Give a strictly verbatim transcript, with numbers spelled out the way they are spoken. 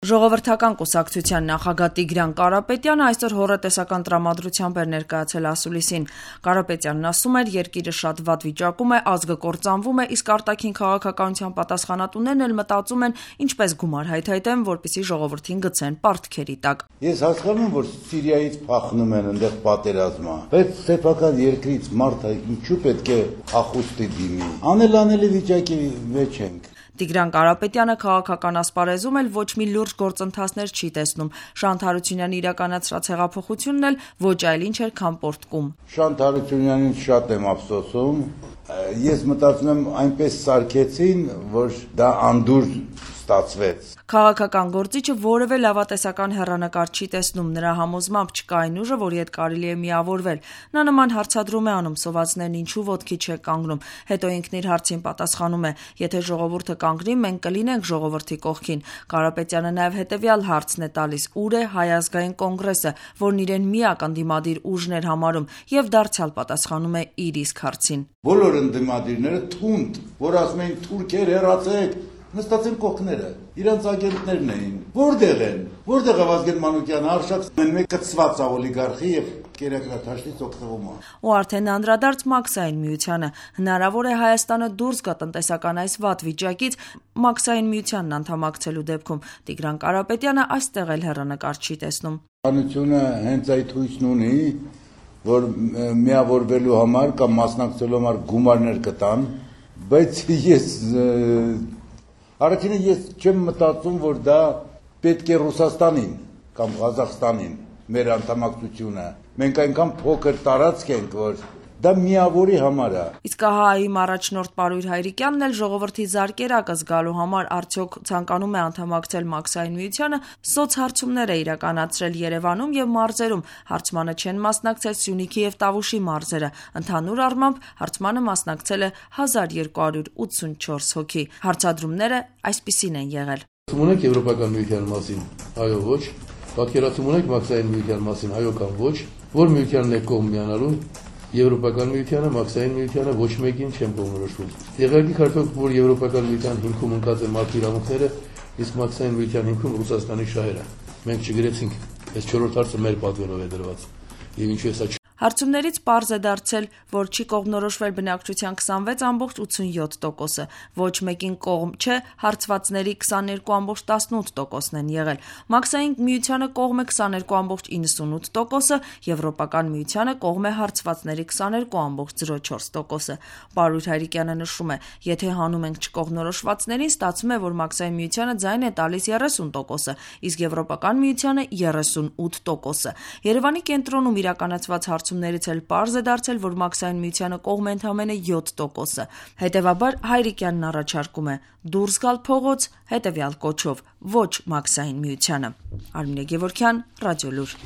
Ժողովրդական կուսակցության նախագահ Տիգրան Կարապետյանը այսօր հոռետեսական տրամադրությամբ էր ներկայացել ասուլիսին։ Կարապետյանն ասում էր, երկիրը շատ վատ վիճակում է, ազգը կործանվում է, իսկ արտաքին քաղաքականության պատասխանատուներն էլ մտածում են ինչպես գումար հայթայթեն, որպեսզի ժողովրդին գցեն պարտքերի տակ։ Ես հասկանում եմ, որ Սիրիայից փախնում են այնտեղ պատերազմը, բայց սեփական երկրից մարդը ինչու պետք է ախուստի դիմի։ Անելանելի վիճակի մեջ ենք։ Տիգրան Կարապետյանը քաղաքական ասպարեզում էլ ոչ մի լուրջ գործընթացներ չի տեսնում։ Շանթ Հարությունյանի իրականացրած հեղափոխությունն էլ ոչ այլ ինչ էր, քան պոռթկում։ Շանթ Հարությունյանին շատ եմ ափսոսում։ Ես մտածում եմ այնպես սարքեցին, որ դա անդուր ստացվեց։ Քաղաքական գործիչը որևէ լավատեսական հեռանկար չի տեսնում, նրա համոզմամբ չկա այն ուժը, որի հետ կարելի է միավորվել։ Նա նման հարցադրում է անում, սովածներն ինչու ոտքի չեք կանգնում, հետո ինքն իր հարցին պատասխանում է. եթե ժողովուրդը կանգնի, մենք կլինենք ժողովրդի կողքին։ Կարապետյանը նաև հետևյալ հարցն է տալիս. ուր է Հայ ազգային կոնգրեսը, որն իրեն միակ ընդդիմադիր ուժն էր համարում, եւ դարձյալ պատասխանում է իր իսկ հարցին։ Բոլոր ընդդիմադիրները թունդ, որ ասում էին թուրքեր հեռացեք, նստած են կողքները, իրանց ագենտներն էին։ Որտեղ են։ Որտեղ է Վազգեն Մանուկյանը, արշակ մեկ կծված օլիգարխի եւ կերակրաթաշտից օգտվում է։ Ու արդեն անդրադարձ Մաքսային միությանը։ Հնարավոր է Հայաստանը դուրս գա տնտեսական այս վատ վիճակից Մաքսային միությանն անդամակցելու դեպքում։ Տիգրան Կարապետյանը այստեղ էլ հեռանկար չի տեսնում։ Հանությունը հենց այդ հույսն ունի, որ միավորվելու համար կամ մասնակցելու համար գումարներ կտան, բայց ես Առաջինը ես չեմ մտածում, որ դա պետք է Ռուսաստանին կամ Ղազախստանին մեր անդամակցությունը։ Մենք այնքան փոքր տարածք ենք, որ դա միավորի համար է։ Իսկ ՀԱՀ-ի առաջնորդ Պարույր Հայրիկյանն էլ ժողովրդի զարկերակը զգալու համար արդյոք ցանկանում է անդամակցել Մաքսային միությանը, սոցհարցումներ է իրականացրել Երևանում եւ մարզերում։ Հարցմանը չեն մասնակցել Սյունիքի եւ Տավուշի մարզերը։ Ընդհանուր առմամբ հարցմանը մասնակցել է հազար երկու հարյուր ութսունչորս հոգի։ Հարցադրումները այսպիսին են եղել. Ունեք Եվրոպական միության մասին, այո, ոչ։ Պատկերացում ունեք Մաքսային միության մասին, այո կամ ոչ։ Որ միությանն է կողմ միանալու, Եվրոպական միությանը, Մաքսային միությանը ոչ մեկին չեմ կողմնորոշվում։ Եղարկի քարտոք, որ Եվրոպական միության հիմքում ընկած են մարդու իրավունքները, իսկ Մաքսային միության հիմքում Ռուսաստանի շահերը։ Մենք չգրեցինք, այս չորրորդ հարցը մեր պատվերով է դրված։ Եվ ինչու է սա Հարցումներից պարզ է դարձել, որ չի կողմնորոշվել բնակչության քսանվեց ամբողջ ութսունյոթ տոկոսը, ոչ մեկին կողմ չէ, հարցվածների քսաներկու ամբողջ տասնութ տոկոսն են եղել։ Մաքսային միությանը կողմ է քսաներկու ամբողջ իննսունութ տոկոսը, Եվրոպական միությանը կողմ է հարցվածների քսաներկու ամբողջ զրո չորս տոկոսը։ Պարույր Հայրիկյանը նշում է, եթե հանում ենք չկողմնորոշվածներին, ստացվում է, որ Մաքսային միությանը ձայն է տալիս երեսուն տոկոսը, իսկ Եվրոպական միությանը երեսունութ տոկոսը։ Երևանի կենտրոնում իրականացված հարցումներից էլ պարզ է դարձել, որ Մաքսային միությանը կողմ է ընդամենը յոթ տոկոսը։ Հետևաբար Հայրիկյանն առաջարկում է դուրս գալ փողոց հետևյալ կոչով՝ ոչ Մաքսային միությանը։ Արմինե Գևորգյան, Ռադիոլուր։